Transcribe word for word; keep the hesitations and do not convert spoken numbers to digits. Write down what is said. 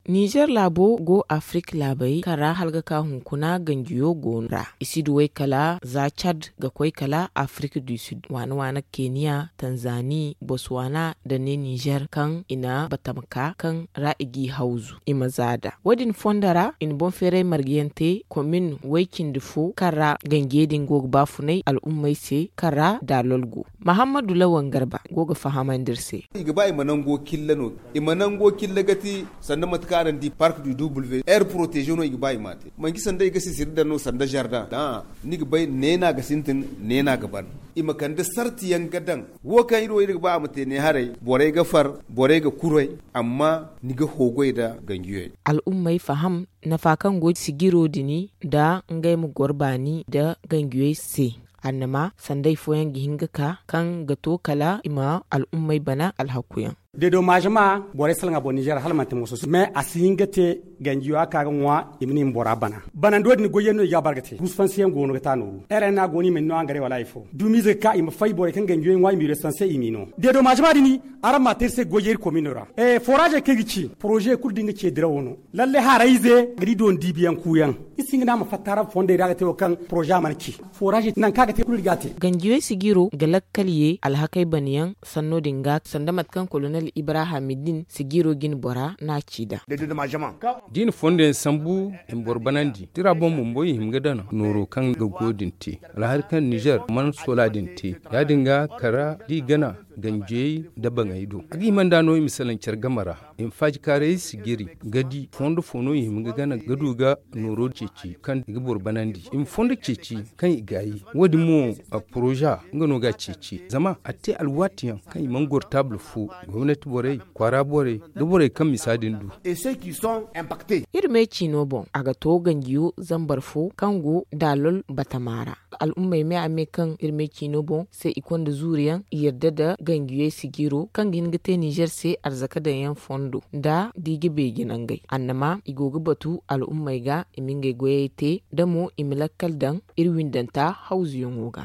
Nizer laabo go afrik laabey kaŋ ra hala ga ka hunkuna ganjiyo goono ra i si duwey kala za cad ga koy kala afrik du sud waana waana keniya tanzani boswaana nda ne nizer kaŋ i na batama ka kaŋ ra i g'i hawzu i ma za nd'a. Wo- din fondo ra i na boŋ feeray marga yaŋ te komin way- cindi fo kaŋ ra ganjiyey din go ga baafunay al'ummey se kaŋ ra daalol go. Mahammadu lawan garba go ga fahamandi iri se. I ga ba i ma nango killa no i ma nango killa ga ti sanda mate kaŋ araŋ di park du w r protégé no i ga ba i ma a te manci sanda i ga sisiri daŋ no sanda zardaŋ. Ni ga bay neena ga sintin neena ga ban i ma kande sarti yaŋ ga daŋ. Wo kaŋ iri wo iri ga ba a ma te ne haray borey ga far borey ga kuray amma ni ga hoogoy nda ganjiyey. Al'ummey faham nafa kaŋ go sijiro din nda ngey ma goro baani nda ganjiyey se. Annama sanday fooyaŋ ga hin ga ka kaŋ ga to kala i ma al'ummey bana alhakuyaŋ. Deedomaaze ma borey salaŋ a boŋ nizer hala manti mooso se mais a si hin ga te ganjiyo a ka ga ŋwa i ma ne i ma bora bana. Banando din goyyaŋ no i ga a bara ga te rusfansiyaŋ go no ga ta nooru r n a go no i ma ni no hangaray wala hari fo dumiize ga ka i ma fay borey kaŋ ganjiyo ŋwa i ma i rusfanse i m'i no. Deedomaaze ma din araŋ ma a te iri se goyyaŋ iri komino ra. Foraazey kaŋ i ga ci poroze kulu da nga ce dirawo no lalle harayze ga di dooni diibiyaŋ kuuyaŋ. Iri si hin ga ne a ma fatta araŋ fondey ra ga te wo kaŋ poroze a mana ci. Foraazey nangu kaŋ a ga te kulu iri ga a te. Ganjiyey sijiro ga lakkal ye alhakey banayaŋ sanno din ga sanda mate kaŋ kolonel ibrahim din sijiro jine bora no a ci nd'a. Da i na fondo yaŋ sambu i ma boro banandi tira boŋ bumbo i hima ga dana nooro kaŋ ga goyo din te alhari kaŋ nizer mana soola din te ya- din ga kara da i gana ganjiyey nda baŋey do a ga hima nd'a no i ma salaŋ care game ra. I ma faaji kaarayey sijiri ga di fondo fo no i hima ga gana ga du ga nooro ceeci kaŋ i ga boro banandi i ma fondo ceeci kaŋ i gaayi. Wo- din mo poroza nga no ga a ceeci zama a te alwaatiyaŋ kaŋ i mana goro taabul fo gomnati borey kwaara borey nda borey kaŋ misa din du. Iri me ciino boŋ a ga to ganjiyo zambar fo kaŋ go daalol batama ra. Al'ummey me a me kaŋ iri me ciino boŋ se i konda zuuriyaŋ i yarda nda ganjiyey sijiro kaŋ ga hin ga te nizer se arzaka daŋyaŋ fondo nda da i ga beeji nangey annama i go ga batu al'ummey ga i ma ngey goyey te da mo i ma lakkal daŋ iri windanta hawzuyaŋo ga.